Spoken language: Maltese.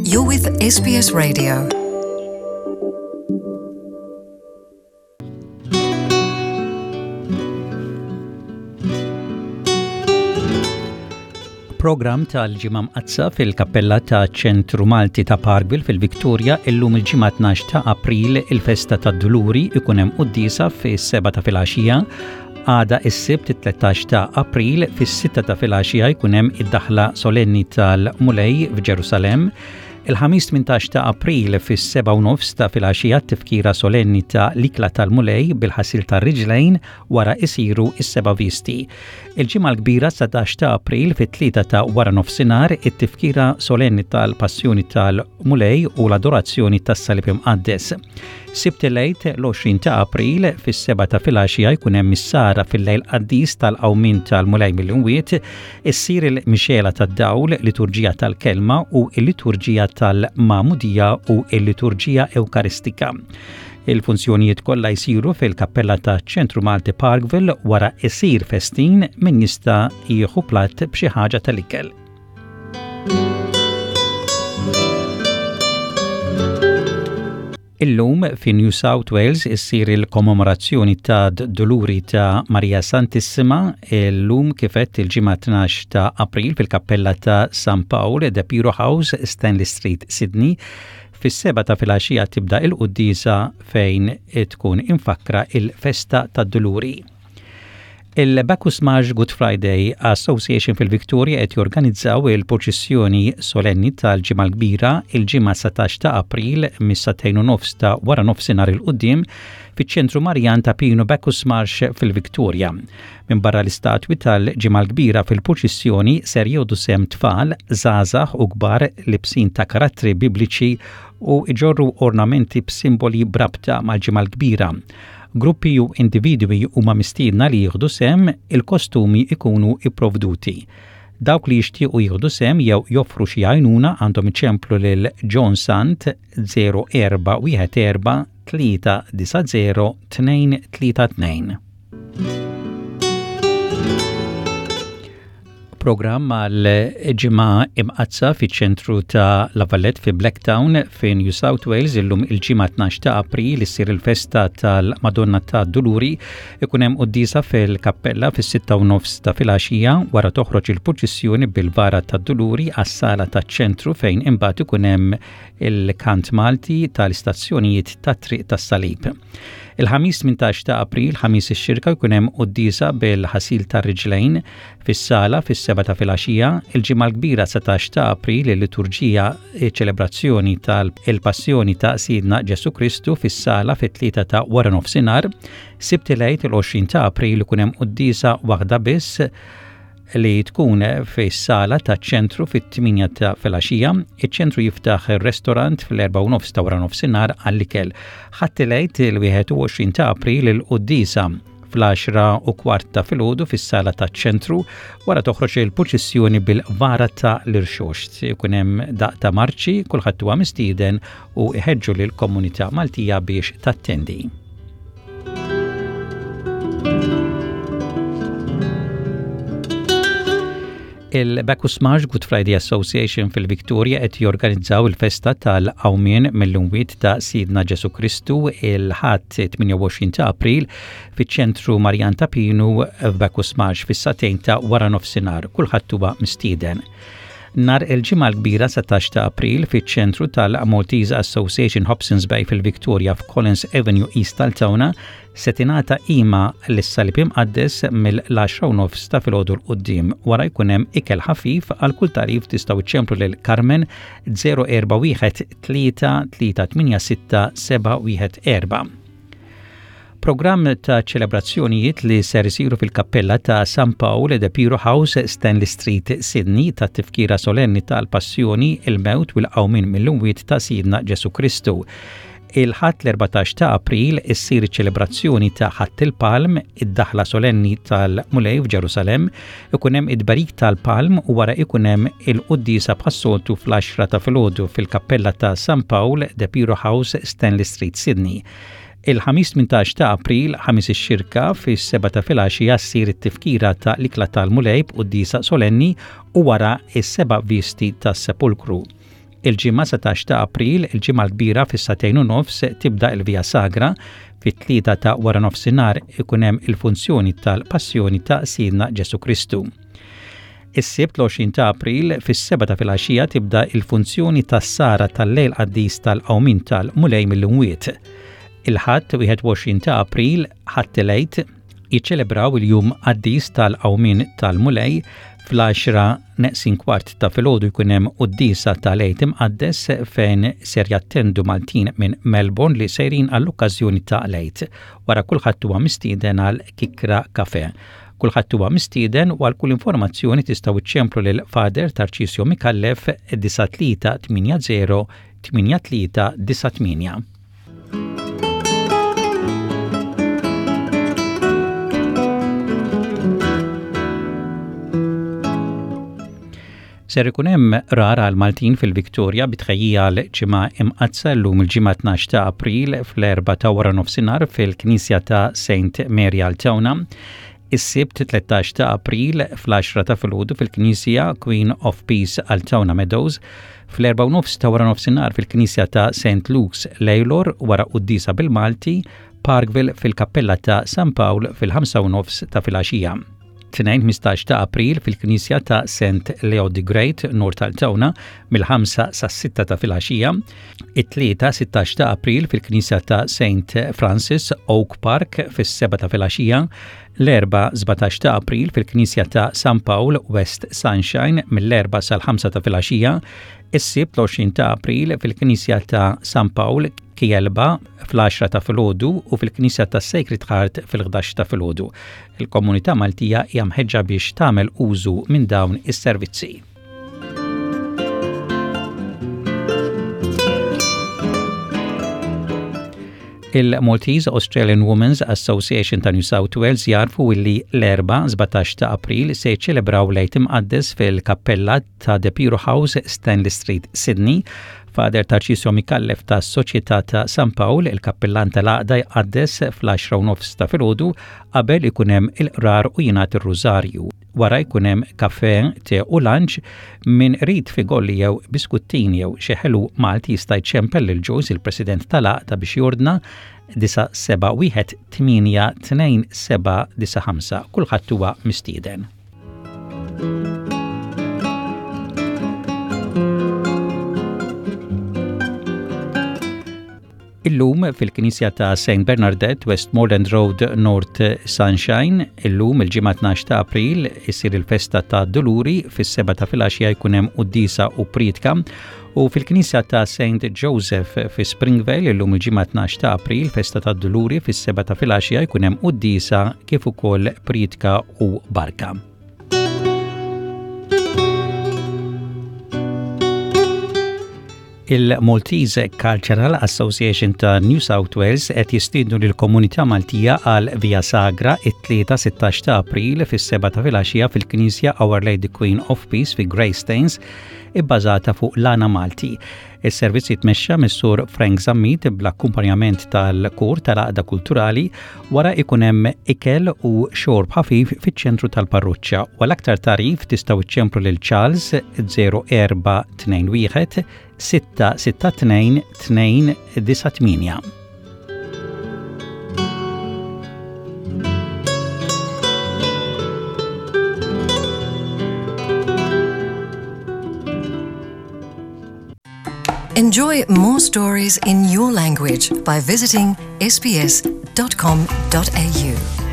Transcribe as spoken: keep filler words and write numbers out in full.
You're with S B S Radio. Program tal-Ġimgħa Mqaddsa fil-Kappella ta' Ċentru Malti ta' Parkville fil-Victoria. Illum il-Ġimgħa tnax ta' April, il-festa tad-Duluri, ikun hemm quddiesa fis-seba ta' filgħaxija. Għada is-Sibt tlettax ta' April fis-sitta ta' filgħaxija jkun hemm id-daħla solenni tal-Mulej f'Ġerusalem. Il-Ħamis tmintax ta' April fis-seba u nofs ta' filgħaxija tifkira solenni ta' l-ikla tal-Mulej bil-ħasil tar-riġlejn, wara isiru is-seba' visti. Il-Ġimgħa l-Kbira sbatax ta' April fit-tlieta ta' wara nofsinhar it-tifkira solenni tal-Passjoni tal-Mulej u l-adorazzjoni tas-Salib Imqaddes. Sibt il-Għid l-għoxrin ta' April fis-seba ta' filgħaxija jkun hemm is-sahra fil-lejl qaddis tal-qawmien tal-Mulej mill-imwiet, issir il-mixela tad-dawl, liturġija tal-kelma u l-liturġija tal-Magħmudija u l-liturġija Ewkaristika. Il-funzjonijiet kollha jsiru fil-kappella ta' Ċentru Malti Parkville, wara isir festin, min jista' jieħu platt b'xi ħaġa tal-ikel. Illum fi New South Wales issir il-kommemorazzjoni ta' Duluri ta' Maria Santissima. Illum kif għedt, il-Ġimgħa tnax ta' April, fil-kappella ta' San Paul, De Piro House, Stanley Street, Sydney. Fis-seba ta' filgħaxija tibda il-quddiesa fejn tkun imfakkra il-festa ta' Duluri. Il-Bacchus Marsh Good Friday Association fil-Victoria qed jorganizzaw il-proċessjoni solenni tal-Ġimgħa l-Kbira il-Ġimgħa satax ta' April mis-sagħtejn u nofs ta' wara nofsinhar 'il quddiem fiċ-ċentru Marjan ta' Pinu, Bacchus Marsh fil-Victoria. Minn barra l-istatwi tal-Ġimgħa l-Kbira, fil-proċessjoni ser jieħdu sehem tfal, żgħażagħ u kbar libsin ta' karattri bibliċi u iġorru ornamenti b'simboli b'rabta mal-Ġimgħa l-Kbira. Gruppi u individwi huma mistiedna li jieħdu sehem, il-kostumi ikunu ipprovduti. Dawk li jixtiequ jieħdu sehem jew joffru xi għajnuna għandhom iċemplu lil John Sant zero erba' wieħed erba' tlieta disa' zero tnejn tlieta tnejn. Programm għal Ġimgħa Imqaddsa fiċ-ċentru ta' La Valette fi Blacktown fi New South Wales. Illum il-Ġimgħa tnax ta' April issir il-festa tal-Madonna ta' Duluri, ikun hemm quddiesa fil-kappella fis-sitta u nofs ta' filgħaxija, wara toħroġ il-purċissjoni bil-vara ta' Duluri għas-sala taċ-ċentru fejn imbagħad ikun hemm il-kant Malti tal-istazzjonijiet tat-Triq tas-Salib. Il-Ħamis tmintax ta' April, Ħamis ix-Xirka, jkun hemm quddiesa bil-ħasil tar-riġlejn fis-sala fis-seba ta' filgħaxija. Il-Ġimgħa l-Kbira satax ta' April il-liturġija ċelebrazzjoni tal-Passjoni ta' Sidna Ġesu Kristu fis-sala fit-tlieta ta' wara nofsinhar. Sibt il-Għid il-għoxrin ta' April ikun hemm quddiesa waħda biss li tkun fis-sala ta' ċentru fit-tmienja ta' filgħaxija. Iċ-ċentru jiftaħ il-restorant fl-erba' u nofs ta' wara nofsinhar għall-ikel. Ħadd il-Għid il-wieħed u għoxrin ta' April il-quddiesa fl-għaxra u kwart ta' filgħodu fis-sala ta' ċentru, wara toħroġ il-purċissjoni bil-vara ta' l-Irxoxt. Ikun hemm daqq ta' marċi, kulħadd huwa mistieden u iħeġġu lill-komunità Maltija biex tattendi. Il-Bacchus Marsh Good Friday Association fil-Victoria qed jorganizzaw il-festa tal-qawmien mill-imwiet ta' Sidna Ġesu Kristu il-Ħadd tmienja u għoxrin ta' April fiċ-ċentru Marjan ta' Pinu f'Bacchus Marsh fis-sagħtejn ta' wara nofsinhar. Kulħadd huwa mistieden. Nar il-Ġimgħa l-Kbira satax ta' April fiċ-ċentru tal-Maltese Association Hobsons Bay fil-Victoria f'Collins Avenue, East Altona, se tingħata qima lis-Salib Imqaddes mill-għaxra u nofs ta' filgħodu 'l quddiem, wara jkun hemm ikel ħafif. Għal kull tagħrif tistgħu iċċemplu lil Carmen zero erba' wieħed tlieta tlieta tmienja sitta seba' wieħed erba'. Programm ta' ċelebrazzjonijiet li ser isiru fil-kappella ta' San Paul de Piro House, Stanley Street, Sydney, ta' tifkira solenni tal-Passjoni, il-Mewt u l-Qawmien mill-Imwiet ta' Sidna Ġesu Kristu. Il-Ħadd l-erbatax ta' April issir ċelebrazzjoni ta' Ħadd il-Palm, id-daħla solenni tal-Mulej f'Ġerusalem, ikun hemm id-barik tal-Palm u wara ikun hemm il-quddiesa bħas-soltu fl-għaxra ta' filgħodu fil-kappella ta' San Paul de Piro House, Stanley Street, Sydney. Il-Ħamis tmintax ta' April, Ħamis ix-Xirka, fis-seba ta' filgħaxija ssir it-tifkira ta' l-ikla tal-Mulej b'quddiesa solenni u wara is-seba' visti tas-sepulkru. Il-Ġimgħa satax ta' April, il-Ġimgħa l-Kbira, fis-sagħtejn u nofs tibda il-Via Sagra, fit-tlieta ta' wara nofsinhar ikun hemm il-funzjoni tal-Passjoni ta' Sidna Ġesu Kristu. Is-Sibt l-għoxrin ta' April fis-sebgħa ta' filgħaxija tibda il-funzjoni tas-sahra tal-Lejl Qaddis tal-Qawmin tal-Mulej mill-Imwiet. Il-Ħadd wieħed u għoxrin ta' April, Ħadd il-Għid, jiċċelebraw il-Jum Qaddis tal-Qawmin tal-Mulej. Fl-għaxra neqsin kwart ta' filgħodu jkun hemm quddiesa tal-Għid Imqaddes fejn ser jattendu Maltin minn Melbourne li sejrin għall-okkażjoni ta' l-Għid. Wara kulħadd huwa mistieden għal kikra kafe. Kulħadd huwa mistieden u għal kull informazzjoni tistgħu iċċemplu lil Father Tarcisio Micallef disgħa tlieta tmienja żero tmienja tlieta disgħa tmienja. Ser ikun hemm qrar għal Maltin fil-Viktoria bi tħejjija għal Ġimgħa Imqaddsa llum il-Ġimgħa tnax ta' April fl-erbgħa ta' wara nofsinhar fil-Knisja ta' Saint Mary Altona. Is-Sibt tlettax ta' April fl-għaxra ta' filgħodu fil-Knisja Queen of Peace Altona Meadows, fl-erbgħa u nofs ta' wara nofsinhar fil-Knisja ta' Saint Luke's Lalor wara quddiesa bil-Malti, Parkville fil-Kappella ta' San Paul fil-ħamsa u nofs ta' filgħaxija. Tnejn ħmistax ta' April fil-Knisja ta' Saint Leo the Great, North Altona, mill-ħamsa sa' sitta ta' filgħaxija. It-Tlieta sittax ta' April fil-Knisja ta' Saint Francis, Oak Park, fis-sebgħa ta' filgħaxija. L-Erbgħa sbatax ta' April fil-Knisja ta' San Paul, West Sunshine, mill-erbgħa sal-ħamsa ta' filgħaxija. Is-Sibt l-għoxrin ta' April fil-Knisja ta' San Paul Kealba fl-għaxra ta' filgħodu u fil-Knisja ta' Sacred Heart fil-ħdax ta' filgħodu. Il-komunità Maltija hija mħeġġa biex tagħmel użu minn dawn is-servizzi. Il-Maltese Australian Women's Association ta' New South Wales jgħarrfu illi l-Erbgħa sbatax ta' April se jċelebraw l-Għid Imqaddes fil-kappella ta' De Piro House, Stanley Street, Sydney. Father Tarcisio Micallef ta' Soċjetà ta' San Paul, il-kappellan tal-għaqda, jqaddes fl-għaxra u nofs ta' filgħodu qabel ikun hemm il-qrar u jingħad ir-rużarju. Wara jkun hemm kafe, te u lunch. Min irid figolli jew biskuttini jew xi ħelu Malti jista' jċempel lil Joyce, il-President tal-għaqda, biex jordna disgħa seba' wieħed tmienja tnejn seba' disgħa ħamsa. Kulħadd huwa mistieden. Illum fil-Knisja ta' Saint Bernadette, Westmoreland Road, North Sunshine, illum il-Ġimgħa tnax ta' April isir il-festa ta' Duluri, fis-sebgħa ta' filgħaxija jkun hemm quddiesa u priedka, u fil-Knisja ta' Saint Joseph fi Springvale illum il-Ġimgħa tnax ta' April, festa ta' Duluri, fis-sebgħa ta' filgħaxija jkun hemm quddiesa kif ukoll priedka u barka. Il-Maltese Cultural Association ta' New South Wales qed jistiednu lill-komunità Maltija għal Via Sagra it-Tlieta sittax ta' April fis-sebgħa ta' filgħaxija fil-Knisja Our Lady Queen of Peace fi Greystanes, ibbażata fuq l-għana Malti. Is-servizz jitmexxa mis-Sur Frank Zammit bl-akkumpanjament tal-kor tal-Għaqda Kulturali. Wara ikun hemm ikel u xorb ħafif fiċ-ċentru tal-parroċċa. U għal aktar tagħrif tistgħu iċċemplu lil Charles żero erba' tnejn wieħed sitta sitta tnejn tnejn disgħa tmienja. Enjoy more stories in your language by visiting S B S dot com dot A U.